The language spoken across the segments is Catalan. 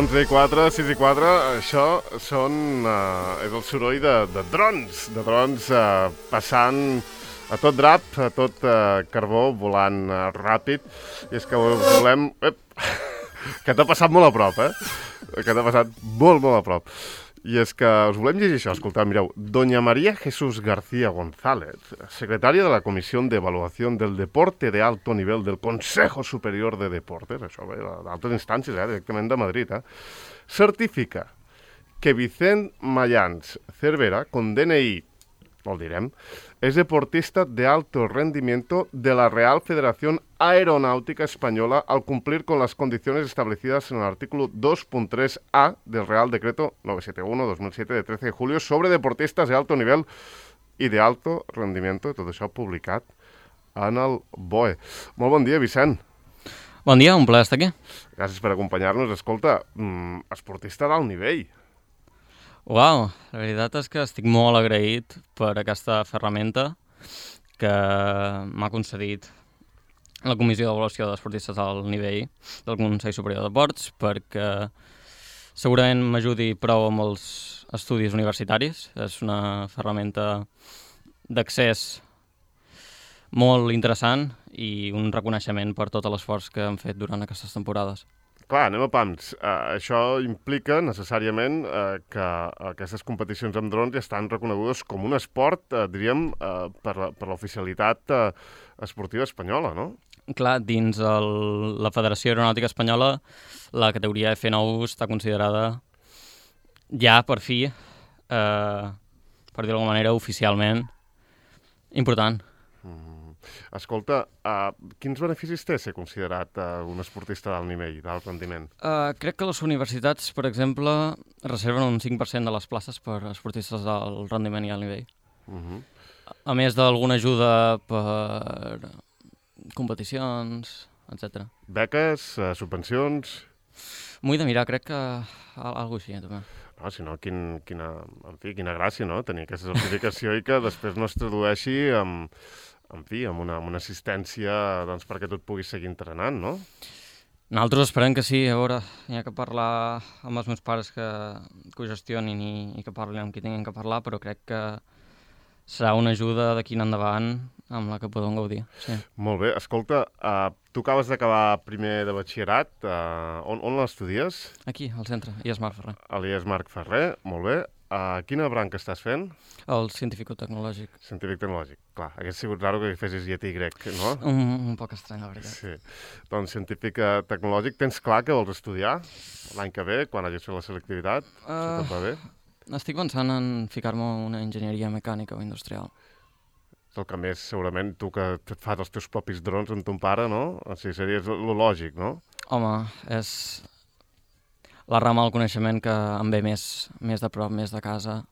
11:04, 6:04, això és el soroll de drons, passant a tot drap, a tot carbó, volant ràpid. I és que volem... que t'ha passat molt a prop, Que t'ha passat molt a prop. I és que us volem llegir això, escolteu, mireu. Doña María Jesús García González, secretaria de la Comisión de Evaluación del Deporte de Alto Nivel del Consejo Superior de Deportes, això ve d'altres instàncies, directament de Madrid, certifica que Vicent Mayans Cervera, con DNI, no el direm, es deportista de alto rendimiento de la Real Federación Aeronáutica Española al cumplir con las condiciones establecidas en el artículo 2.3a del Real Decreto 971-2007 de 13 de julio sobre deportistas de alto nivel y de alto rendimiento, tot això publicat en el BOE. Molt bon dia, Vicent. Bon dia, un plaer estar aquí. Gràcies per acompanyar-nos. Escolta, esportista d'alt nivell. Uau, la veritat és que estic molt agraït per aquesta ferramenta que m'ha concedit la Comissió d'Avaluació d'Esportistes d'Alt Nivell del Consell Superior de Deports, perquè segurament m'ajudi prou amb els estudis universitaris. És una ferramenta d'accés molt interessant i un reconeixement per tot l'esforç que hem fet durant aquestes temporades. Clar, anem a pams. Això implica necessàriament que aquestes competicions amb drons ja estan reconegudes com un esport, diríem, per l'oficialitat esportiva espanyola, no? Clar, dins la Federació Aeronàutica Espanyola, la categoria F9 està considerada ja per fi, per dir-ho d'alguna manera, oficialment important. Escolta, quins beneficis té ser considerat un esportista d'alt nivell, d'alt rendiment? Crec que les universitats, per exemple, reserven un 5% de les places per esportistes d'alt rendiment i alt nivell. A més d'alguna ajuda per competicions, etc. Beques, subvencions... M'ho he de mirar, crec que alguna cosa així, també. No, si no, quina gràcia, no?, tenir aquesta certificació i que després no es tradueixi amb una assistència doncs, perquè tu et puguis seguir entrenant, no? Nosaltres esperem que sí. A veure, hi ha que parlar amb els meus pares que ho gestionin i que parlin amb qui tinguin que parlar, però crec que serà una ajuda d'aquí en endavant amb la que podem gaudir. Sí. Molt bé. Escolta, tu acabes d'acabar primer de batxillerat. On l'estudies? Aquí, al centre, IES Marc Ferrer. A l'IES Marc Ferrer, molt bé. Quina branca estàs fent? El científico-tecnològic. Científic-tecnològic, clar. Hauria sigut raro que fessis lletí i grec, no? Un poc estrany, la veritat. Sí. Doncs científic-tecnològic, tens clar que vols estudiar l'any que ve, quan hagis fet la selectivitat? Si tot va bé? Estic pensant en ficar-me a una enginyeria mecànica o industrial. És el que més, segurament, tu que et fas els teus propis drons amb ton pare, no? O sigui, seria lo lògic, no? Home, és la rama del coneixement que em ve més de prop, més de casa,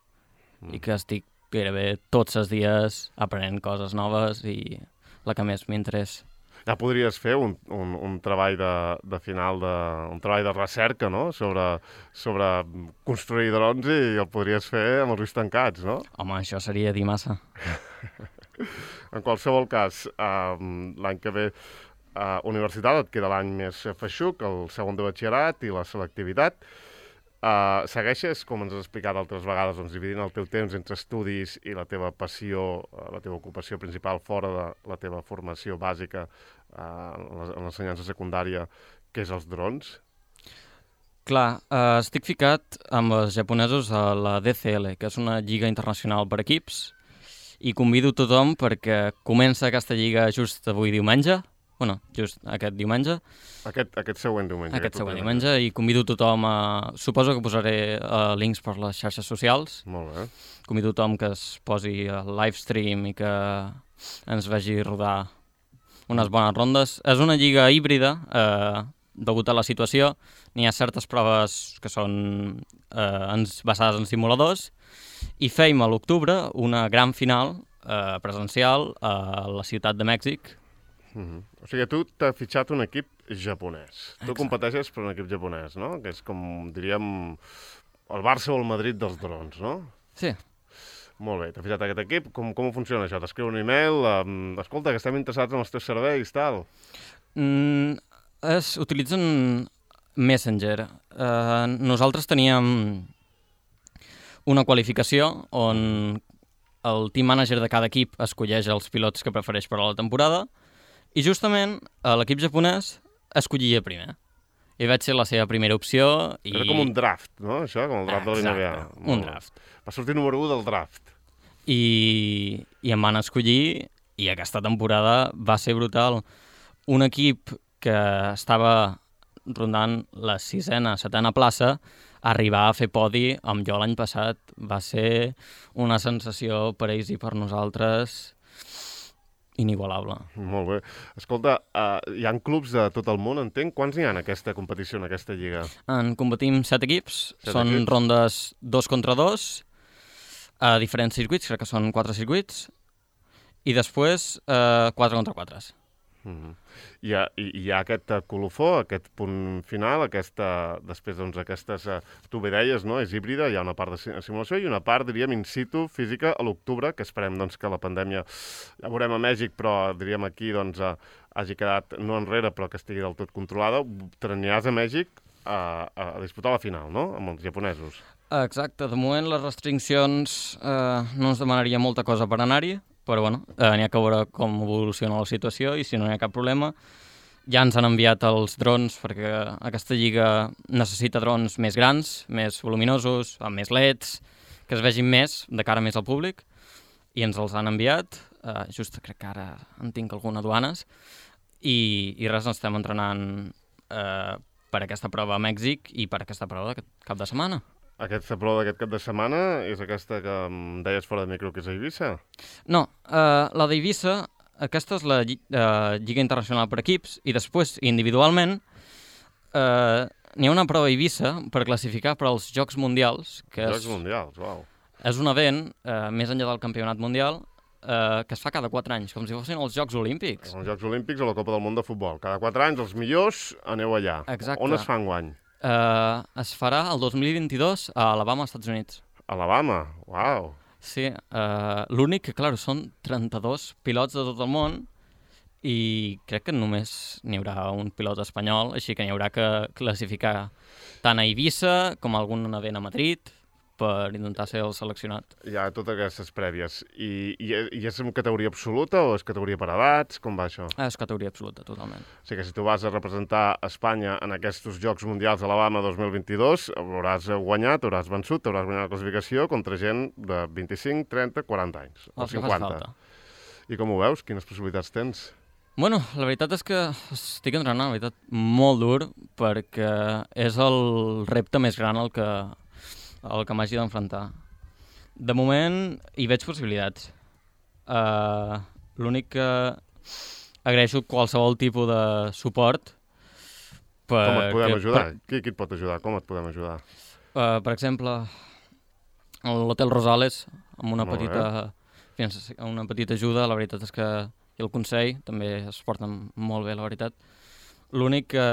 i que estic gairebé tots els dies aprenent coses noves i la que més m'interessa. Ja podries fer un treball de final, un treball de recerca, no?, sobre construir drons i el podries fer amb els ulls tancats, no? Home, això seria dir massa. En qualsevol cas, l'any que ve universitat et queda l'any més feixuc, el segon de batxillerat i la selectivitat. Segueixes, com ens has explicat altres vegades, doncs, dividint el teu temps entre estudis i la teva passió, la teva ocupació principal fora de la teva formació bàsica en l'ensenyança secundària, que és els drons? Clar, estic ficat amb els japonesos a la DCL, que és una lliga internacional per equips, i convido tothom perquè comença aquesta lliga just avui diumenge, just aquest diumenge. Aquest següent diumenge. Aquest següent diumenge, i convido tothom a... Suposo que posaré links per les xarxes socials. Molt bé. Convido tothom que es posi al livestream i que ens vegi rodar unes bones rondes. És una lliga híbrida, degut a la situació. N'hi ha certes proves que són basades en simuladors, i fèiem a l'octubre una gran final presencial a la ciutat de Mèxic. O sigui, tu t'has fitxat un equip japonès. Exacte. Tu competeixes per un equip japonès, no? Que és com, diríem, el Barça o el Madrid dels drons, no? Sí. Molt bé, t'has fitxat aquest equip. Com funciona això? T'escriu un email, escolta, que estem interessats en els teus serveis, tal. Utilitzen Messenger. Nosaltres teníem una qualificació on el team manager de cada equip escolleix els pilots que prefereix per a la temporada i justament l'equip japonès escollia primer. I vaig ser la seva primera opció. Era com un draft, no? Això, com el draft de l'NBA. Exacte, un draft. Va sortir número 1 del draft. I em van escollir i aquesta temporada va ser brutal. Un equip que estava rondant la 6ª, 7ª plaça, arribar a fer podi amb jo l'any passat va ser una sensació per ells i per nosaltres inigualable. Molt bé. Escolta, hi ha clubs de tot el món, entenc? Quants n'hi ha en aquesta competició, en aquesta lliga? En competim 7 equips, són rondes 2 contra 2, a diferents circuits, crec que són 4 circuits, i després 4 contra 4. Hi ha aquest colofó, aquest punt final, després doncs aquestes, tu bé deies, no? És híbrida, hi ha una part de simulació i una part, diríem, in situ, física, a l'octubre, que esperem doncs, que la pandèmia, ja veurem a Mèxic, però diríem aquí doncs, hagi quedat no enrere, però que estigui del tot controlada. T'aniràs a Mèxic a disputar la final, no?, amb els japonesos. Exacte, de moment les restriccions no ens demanaria molta cosa per anar-hi, però bueno, n'hi ha que veure com evoluciona la situació i si no hi ha cap problema. Ja ens han enviat els drons perquè aquesta lliga necessita drons més grans, més voluminosos, amb més LEDs, que es vegin més, de cara més al públic, i ens els han enviat. Just crec que ara en tinc alguna duanes, i res, ens estem entrenant per aquesta prova a Mèxic i per aquesta prova d'aquest cap de setmana. Aquesta prova d'aquest cap de setmana és aquesta que em deies fora de micro que és a Eivissa? No, la d'Eivissa, aquesta és la Lliga Internacional per equips i després, individualment, n'hi ha una prova a Eivissa per classificar per als Jocs Mundials. Jocs Mundials, uau. És un event, més enllà del Campionat Mundial, que es fa cada 4 anys, com si fossin els Jocs Olímpics. Els Jocs Olímpics o la Copa del Món de Futbol. Cada 4 anys, els millors, aneu allà. Exacte. On es fa enguany? Es farà el 2022 a Alabama, Estats Units. Alabama? Uau! Sí, l'únic que, clar, són 32 pilots de tot el món i crec que només n'hi haurà un pilot espanyol, així que n'hi haurà que classificar tant a Eivissa com a algun event a Madrid per intentar ser el seleccionat. Hi ha totes aquestes prèvies. I és en categoria absoluta o és categoria per edats? Com va això? És categoria absoluta, totalment. O sigui que si tu vas a representar Espanya en aquests Jocs Mundials d'Alabama 2022, hauràs guanyat, hauràs vençut, hauràs guanyat la classificació contra gent de 25, 30, 40 anys. O 50. I com ho veus? Quines possibilitats tens? Bueno, la veritat és que estic entrenant, la veritat, molt dur, perquè és el repte més gran el que m'hagi d'enfrontar. De moment hi veig possibilitats. L'únic que agraeixo qualsevol tipus de suport. Com et podem ajudar? Qui et pot ajudar? Com et podem ajudar? Per exemple, l'Hotel Rosales, amb una petita ajuda. La veritat és que i el Consell també es porten molt bé, la veritat. L'únic que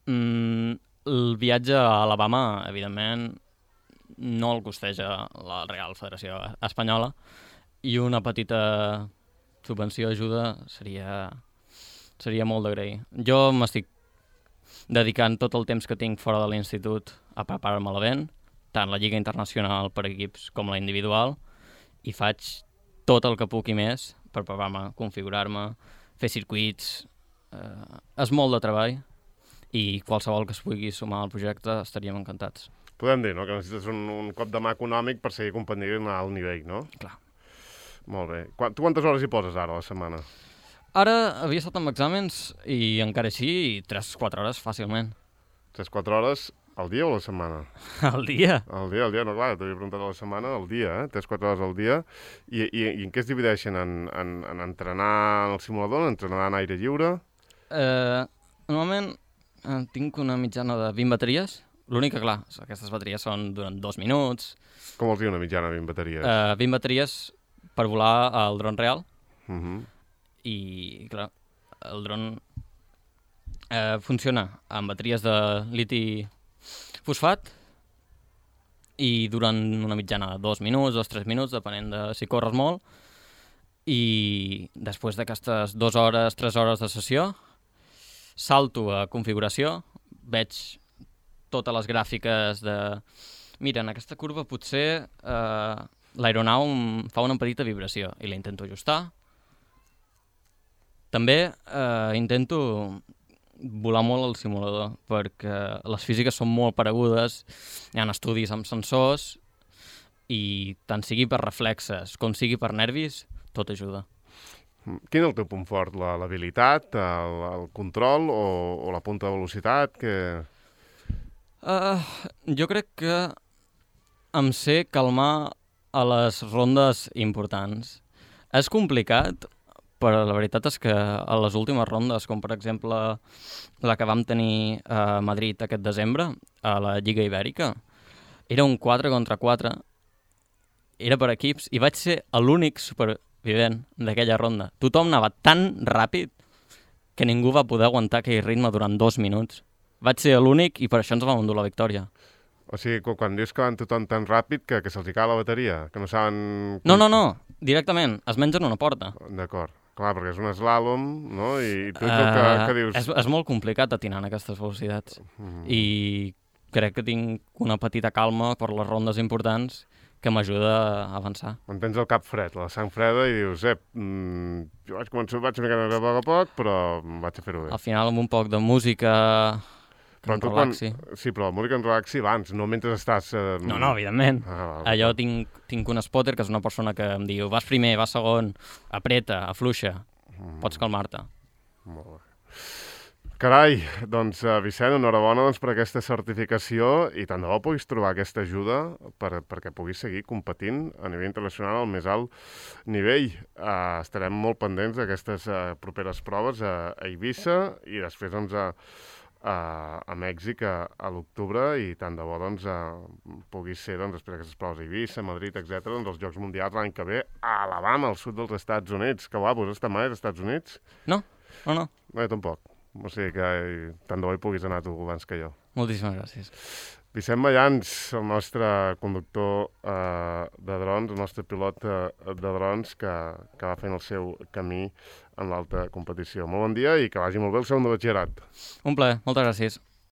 el viatge a Alabama, evidentment, no el costeja la Real Federació Espanyola i una petita subvenció ajuda seria molt d'agrair. Jo m'estic dedicant tot el temps que tinc fora de l'institut a preparar-me l'event, tant la Lliga Internacional per equips com la individual, i faig tot el que puc i més per preparar-me, configurar-me, fer circuits. És molt de treball i qualsevol que es pugui sumar al projecte estaríem encantats. Podem dir, no?, que necessites un cop de mà econòmic per seguir competint a alt nivell, no? Clar. Molt bé. Tu quantes hores hi poses ara a la setmana? Ara havia estat amb exàmens i encara així 3-4 hores fàcilment. 3-4 hores al dia o a la setmana? Al dia. Al dia, no, clar, t'havia preguntat a la setmana, al dia, 3-4 hores al dia. I en què es divideixen? En entrenar en el simulador, en entrenar en aire lliure? Normalment tinc una mitjana de 20 bateries. L'únic que, clar, aquestes bateries són durant 2 minuts. Com vols dir una mitjana, 20 bateries? 20 bateries per volar al dron real. I, clar, el dron funciona amb bateries de liti fosfat i durant una mitjana de 2 minuts, 2-3 minuts, depenent de si corres molt. I després d'aquestes 2 hores, 3 hores de sessió, salto a configuració veig totes les gràfiques de... Mira, en aquesta curva potser l'aeronau fa una petita vibració i la intento ajustar. També intento volar molt al simulador perquè les físiques són molt paregudes, hi ha estudis amb sensors i tant sigui per reflexes com sigui per nervis, tot ajuda. Quin és el teu punt fort? L'habilitat, el control o la punta de velocitat? Jo crec que em sé calmar a les rondes importants. És complicat, però la veritat és que a les últimes rondes, com per exemple la que vam tenir a Madrid aquest desembre, a la Lliga Ibèrica, era un 4 contra 4, era per equips, i vaig ser l'únic supervivent d'aquella ronda. Tothom anava tan ràpid que ningú va poder aguantar aquell ritme durant 2 minuts. Vaig ser l'únic i per això ens vam endur la victòria. O sigui, quan dius que van tothom tan ràpid que se'ls cau la bateria, que no saben... No, directament, es mengen una porta. D'acord. Clar, perquè és un slàlom, no? I tu ets el que dius... És molt complicat atinar en aquestes velocitats. I crec que tinc una petita calma per les rondes importants que m'ajuda a avançar. Tens el cap fred, la sang freda, i dius, jo vaig una mica a poc, però vaig a fer-ho bé. Al final, amb un poc de música... Però relaxi. Sí, però la música en relaxi abans, no mentre estàs... No, evidentment. Allò tinc un spotter, que és una persona que em diu vas primer, vas segon, apreta, afluixa, pots calmar-te. Molt bé. Carai, doncs, Vicent, enhorabona per aquesta certificació i tant de bo puguis trobar aquesta ajuda perquè puguis seguir competint a nivell internacional al més alt nivell. Estarem molt pendents d'aquestes properes proves a Eivissa i després, doncs, a Mèxic a l'octubre i tant de bo doncs, puguis ser després d'aquestes proves a Eivissa, Madrid, etc., doncs, els Jocs Mundials l'any que ve a Alabama, al sud dels Estats Units. Que guapo, has estat mai als Estats Units? No. No, jo tampoc. O sigui que tant de bo hi puguis anar tu abans que jo. Moltíssimes gràcies. Vicent Mayans, el nostre conductor de drons, el nostre pilot de drons que va fent el seu camí en l'alta competició. Molt bon dia i que vagi molt bé el segon de batxillerat. Un plaer, moltes gràcies.